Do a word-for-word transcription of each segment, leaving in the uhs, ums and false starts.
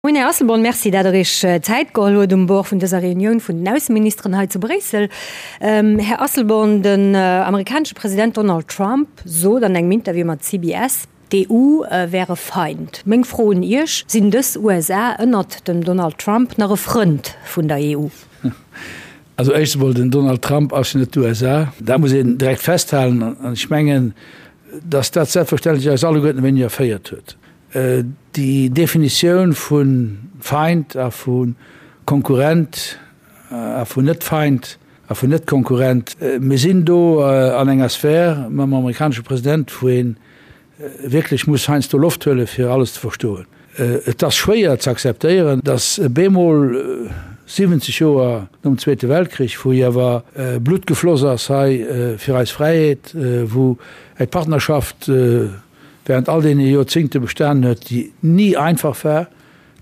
Moien Här Asselborn, Merci dat der Iech Zäit geholl huet um Bord vun dëser Reunioun vun den Ausseministeren hei zu Bréissel. Här Asselborn, den amerikanesche President Donald Trump sot an engem Interview mat C B S, d'E U wär e Feind. Meng Fro un Iech, Sinn dës U S A ënnert dem Donald Trump nach e Frënd vun der E U? Also éischt emol, den Donald Trump ass jo net d'U S A. Dat muss een direkt festhalen. An ech mengen, datt dat selbstverständlech eis alleguerten e wéineg erféiert huet. Déi Definitioun vu Feind a vu Konkurrent a vun Net-Feind a vun Net-Konkurrent, mir sinn do an enger Sphär mam amerikanesche President, wou ee wierklech muss heiansdo Loft huele fir alles ze verstoen. Et ass schwéier ze akzeptéieren, datt bemol siwwenzeg Joer nom Zweete Weltkrich, wou jo awer Blutt gefloss ass hei fir eis Fräiheet, wou eng Partnerschaft während all deene Joerzingte bestanen huet, déi ni einfach war,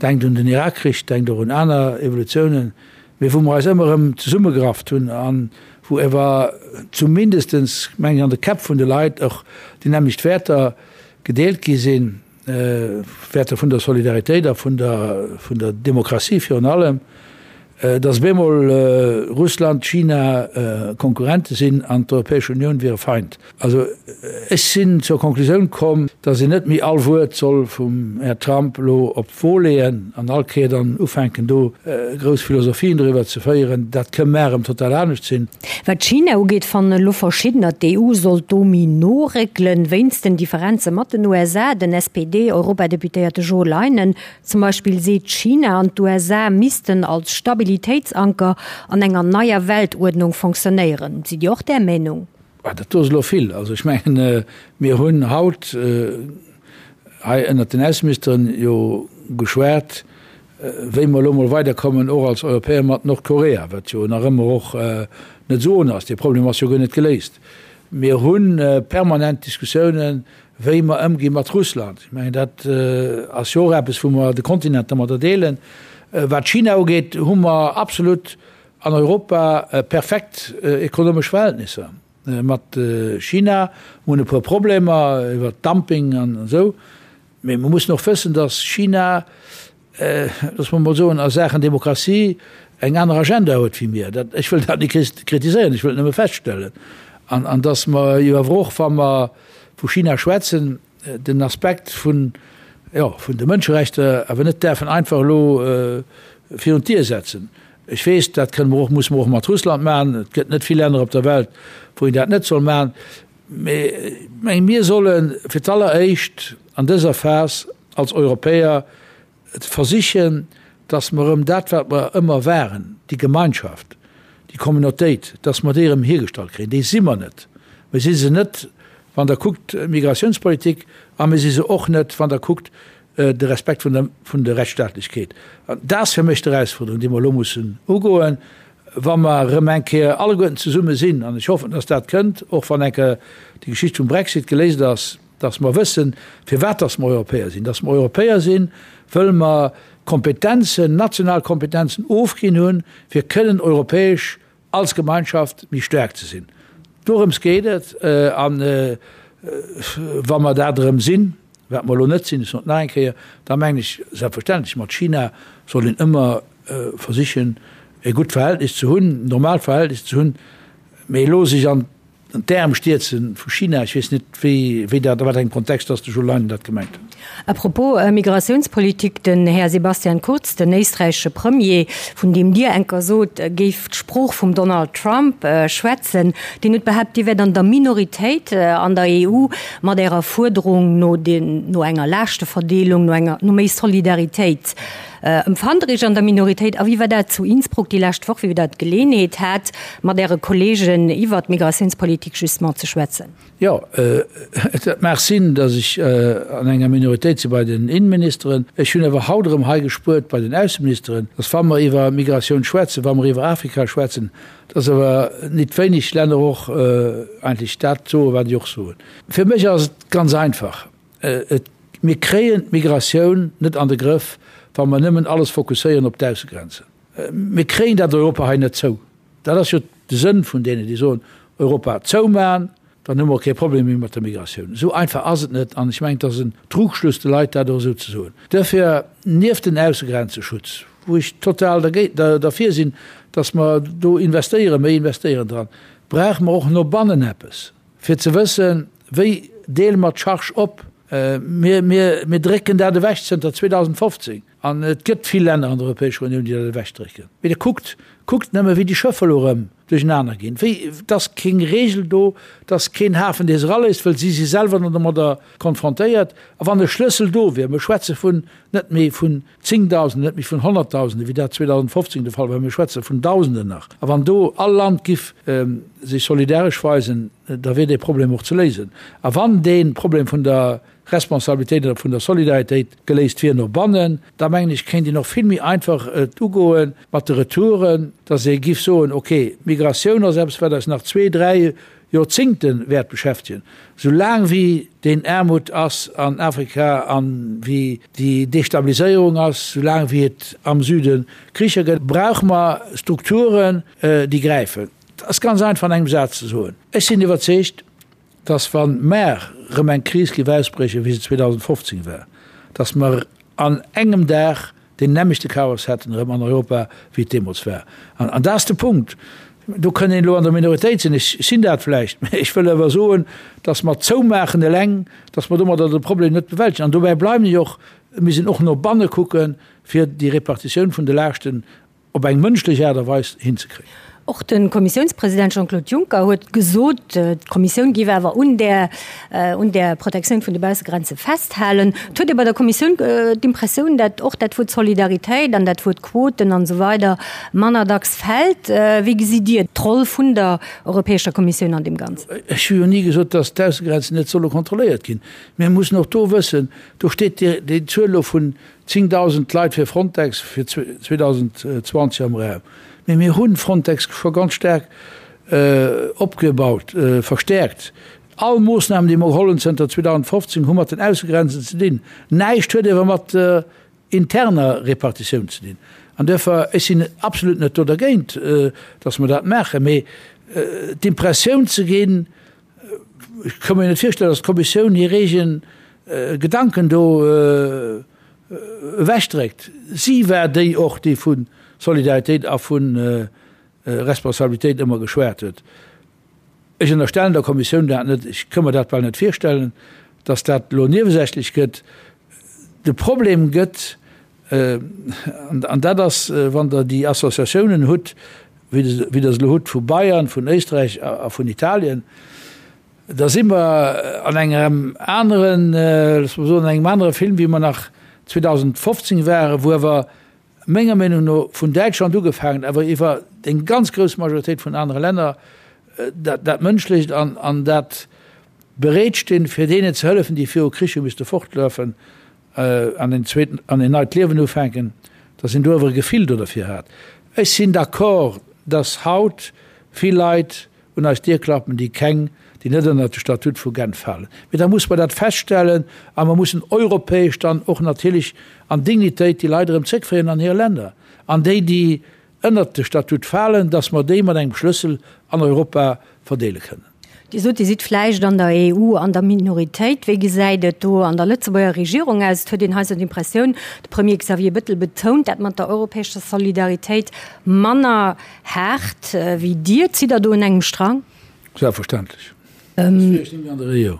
denkt un den Irakkrich, denkt och un aner Evolutiounen, mee wou mer eis ëmmer erëm zesummegerafft hunn a wou ewer zumindestens, meng ech, an de Käpp vun de Leit och déi nämmlecht Wäerter gedeelt gi sinn, Wäerter vun der Solidaritéit a vun der, vun der Demokratie virun allem, dass bemol Russland, China Konkurrente sinn an d'Europäesch Unioun wier e Feind. Also ech sinn zur Konklusioun komm, dass een net méi all Wuert soll vum Här Trump elo op d'Wo leeën an all Kéier dann ufänken do grouss Philosophien doriwwer ze féieren. Dat kënn mar erëm total anescht sinn. Wat China ugeet, fannen elo verschiddener, d'E U sollt do méi no réckelen, wéinst den Differenze mat den U S A. Den S P D-Europadeputéierte Jo Leinen zum Beispill seet, China an d'U S A missten als Stabilitéitsanker an enger neier Weltuerdnung fonctionnéieren. Sidd Dir och där Meenung? Dat do ass elo vill. Also ech mengen, mir hunn haut hei ënnert den Ausseministeren jo geschwat, wéi mer elo mol weiderkommen, och als Europäer mat Nordkorea, wat jo nach ëmmer och net esou ohne ass. Dee Problem ass jo guer net geléist. Mir hu permanent Diskussiounen, wéi mer ëmgi mat Russland. Ech mengen, dat ass jo och eppes, wou mer de Kontinent domadder deelen. Wat China ugeet, hu mer absolut an Europa perfekt ekonomesch Verhältnisser mat China. Mir hunn e puer Problemer iwwer Dumping an esou, mee mer mussen och wëssen, datt China, loosse mer mol soen, a Saachen Demokratie eng aner Agenda huet wéi mir. Dat, ech wëll dat net kritiséieren, ech wëll et nëmme feststellen. An, an datt mer jo awer och, wa mer vu China schwätzen, den Aspekt vun, jo, vun de Mënscherechter awer net däerfen einfach elo virun d'Dier setzen. Ech weess, dat kënne mer och, musse mer och mat Russland maachen. Et gëtt net vill Länner op der Welt, wou een dat net soll maachen. Mee ech mengen, mir solle fir d'alleréischt an dëser Phas als Europäer versichen, dass mer erëm dat, wat mer ëmmer waren, déi Gemeinschaft, déi Communautéit, dass mer déi erëm hiergestallt kréien. Déi si mer net. Mir si se net, wann Der kuckt d'Migrationspolitik, a mir si se och net, wann Der kuckt de Respekt vun der, vun der Rechtsstaatlechkeet. An dat ass fir mech d'Erausfuerderung, déi mer elo mussen ugoen, wa mer erëm eng Kéier alleguerten zesumme sinn, an ech hoffen, dass dat kënnt, och wann eng Kéier déi Geschicht vum Brexit geléist ass, dass mer wëssen, firwat dass mer Europäer sinn. Dass mer Europäer sinn, wëll mer Kompetenzen, national Kompetenzen ofginn hunn, fir kënnen europäesch als Gemeinschaft méi staark ze sinn. Dorëms geet et. An wa mer dat erëm sinn, wat mer elo net sinn, ech soen et nach eng Kéier, da mengen ech, selbstverständlech, mat China soll een ëmmer versichen, e gutt Verhältnis ze hunn, normaalt Verhältnis ze hunn, mee elo sech an d'Äerm stierze vu China, ech weess net, wéi, wéi dat, a wat engem Kontext dass de Joe Leinen dat gemengt huet. À propos Migratiounspolitik, den Här Sebastian Kurz, den éisträichesche Premier, vun deem Dir enker sot, e géif d'Sprooch vum Donald Trump schwätzen, deen huet behaapt, Dir wäert an der Minoritéit an der E U mat Ärer Fuerderung no den, no enger Laaschteverdeelung, no enger, no méi Solidaritéit. Empfannt Der Iech an der Minoritéit? A wéi war dat zu Innsbruck déi lescht Woch, wéi Der d'Geleeënheet hat, mat Äre Kolleegen iwwert d'Migratiounspolitik justement ze schwätzen? Jo, et mag sinn, datt ech an enger Minoritéit si bei den Innenministeren. Ech hunn awer haut erëm hei gespuert bei den Ausseministeren, datt wa mer iwwer Migratioun schwätzen, wa mer iwwer Afrika schwätzen, datt awer nit wéineg Länner och eigentlech dat soen, wat ech och soen. Fir mech ass et ganz einfach, Et, mir kréien d'Migratioun net an de Grëff, wa mer nëmmen alles fokusséieren op d'Aussegrenzen. Mir kréien dat Europa hei net zou. Dat ass jo de Sënn vun deenen, déi soen, Europa zoumachen, dann hu mer och kee Problem méi mat der Migratioun. Esou einfach ass et net an ech mengen, et ass en Trugschluss, de Leit dat och esou ze soen. Duerfir, nieft den Aussegrenzesschutz, wou ech total derfir sinn, dass mer do investéieren, méi investéieren dran, brauche mer och no bannen eppes, fir ze wëssen, wéi deele mer d'Charge op. Mir, mir, mir drécken dat ewech zënter zweedausendfofzéng An et gëtt vill Länner an der Europäescher Unioun, déi dat ewechdrécken. Mee da kuckt, kuckt nëmme, wéi déi Schëffer elo erëm duerchenaner ginn. Wéi, et ass keng Regel do, et ass keen Hafen, dee se eraléisst, well si si selwer dann domadder konfrontéiert. A wann e Schlëssel do wier, mir schwätze vun net méi vun Zéngdausenden, net méi vun Honnertdausenden, wéi dat zweedausendfofzéng de Fall war, mir schwätze vun Dausenden nach. A wann do all Land giff sech solidaresch weisen, da wier dee Problem och ze léisen. A wann dee Problem vun der Responsabilitéit oder vun der Solidaritéit geléist wier no bannen, da mengen ech, kéint een och vill méi einfach et ugoe mat de Retouren, dass ee giff soen, okay, Migratioun ass eppes, wat eis nach zwee, dräi Joerzingte wäert beschäftegen, sou laang wéi deen Aarmut ass an Afrika an wéi déi Destabiliséierung ass, sou laang wéi et am Süde Kricher gëtt, brauche mer Strukturen, déi gräifen. Et ass ganz einfach an engem Saz ze soen. Ech sinn iwwerzeegt, dass wa mar erëm eng Kris géif ausbriechen, wéi se zweedausendfofzéng war, dass mer an engem Dag deen nämmlechte Chaos hätten erëm an Europa, wéi et deemools war. An, an dat ass de Punkt. Do kënn een elo an der Minoritéit sinn, ech sinn dat vläicht, mä ech wëll awer soen, dass mer zoumaachen eleng, dass mer domadder de Problem net bewältegen. An dobäi bleiwen ech och, mir sinn och no banne kucken, fir déi Repartitioun vun de Laaschten op eng mënschlech Aart a Weis hinzekréien. Och de Kommissiounspresident Jean-Claude Juncker huet gesot, d'Kommissioun géif awer un där, un där Protektioun vun de Baussegrenze festhalen. Et huet ee bei der Kommissioun d'Impressioun, dat och dat Wuert Solidaritéit an dat Wuert Quoten an esou weider manner dacks fält. Wéi gesitt Dir d'Roll vun der Europäescher Kommissioun an deem Ganzen? Ech hu jo ni gesot, datt d'Aussegrenzen net solle kontrolléiert ginn. Mir mussen och do wëssen, do steet déi Zuel elo vun zéngdausend Leit fir Frontex fir zweedausendzwanzeg am Raum. Mee mir hu Frontex scho ganz staark opgebaut, verstäerkt. All Moossnamen, déi mer geholl hunn zënter zweedausendfofzéng, hu mat den Aussegrenzen ze dinn. Näischt huet ewer mat der interner Repartitioun ze dinn. An duerfir, ech sinn absolut net do dergéint, datt mer dat maachen, mee d'Impressioun ze ginn, ech ka mir net virstellen, datt d'Kommissioun hir eegen Gedanken do ewechdréckt. Si war déi och, déi vu Solidaritéit a vu Responsabilitéit ëmmer geschwat huet. Ech ënnerstellen der Kommissioun dat net, ech ka mer dat bal net virstellen, datt dat elo niewesächlech gëtt. De Problem gëtt, an dat ass, wann Der déi Associatiounen hutt, wéi Der se elo hutt vu Bayern, vun Éisträich a vun Italien, da si mer an engem aneren, loosse mer soen, an engem anere Film, wéi mer nach zweedausendfofzéng waren, wou awer menger Meenung no vun Däitschland ugefaangen, awer iwwer eng ganz grouss Majoritéit vun anere Länner dat, dat Mënschlecht an, an dat Bereetstinn, fir deenen ze hëllefen, déi viru Krich hu misste fortlafen an en zweeten, an en neit Liewen ufänken, dass een do awer e Gefill do derfir hat. Ech sinn d'accord, dass haut vill Leit un eis Dier klappen, déi keng, déi net ënnert de Statut vu Genf falen. Mee da musse mer dat feststellen a mer mussen europäesch dann och natierlech an Dignitéit déi Leit erëm zréckféieren an hir Länner. An déi, déi ënnert de Statut falen, dass mer déi mat engem Schlëssel an Europa verdeele kënnen. Dir sot, Dir sidd vläicht an der E U an der Minoritéit. Wéi gesäit et do an der Lëtzebuerger Regierung aus? Et huet een hei sou d'Impressioun, de Premier Xavier Bettel betount dat mat der europäescher Solidaritéit manner haart wéi Dir. Zitt Der do un engem Strang? Selbstverständlech. Soss wier ech net méi an der E U.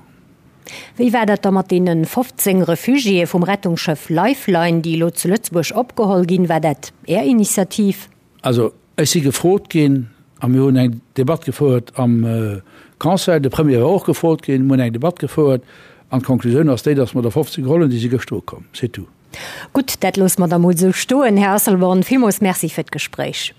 Wéi war dat da mat deene fofzéng Refugiéë vum Rettungsschëff Lifeline, déi elo zu Lëtzebuerg opgeholl ginn? War dat Är Initiativ? Also, ech si gefrot ginn a mir hunn eng Debatt gefouert am Conseil. De Premier war och gefrot ginn. Mir hunn eng Debatt gefouert an d'Konklusioun ass déi, dass mer der fofzéng geholl hunn, déi si gëschter ukomm. C'est tout. Gutt, dat loosse mer da mol esou stoen. Här Asselborn, villmools Merci fir d'Gespréich.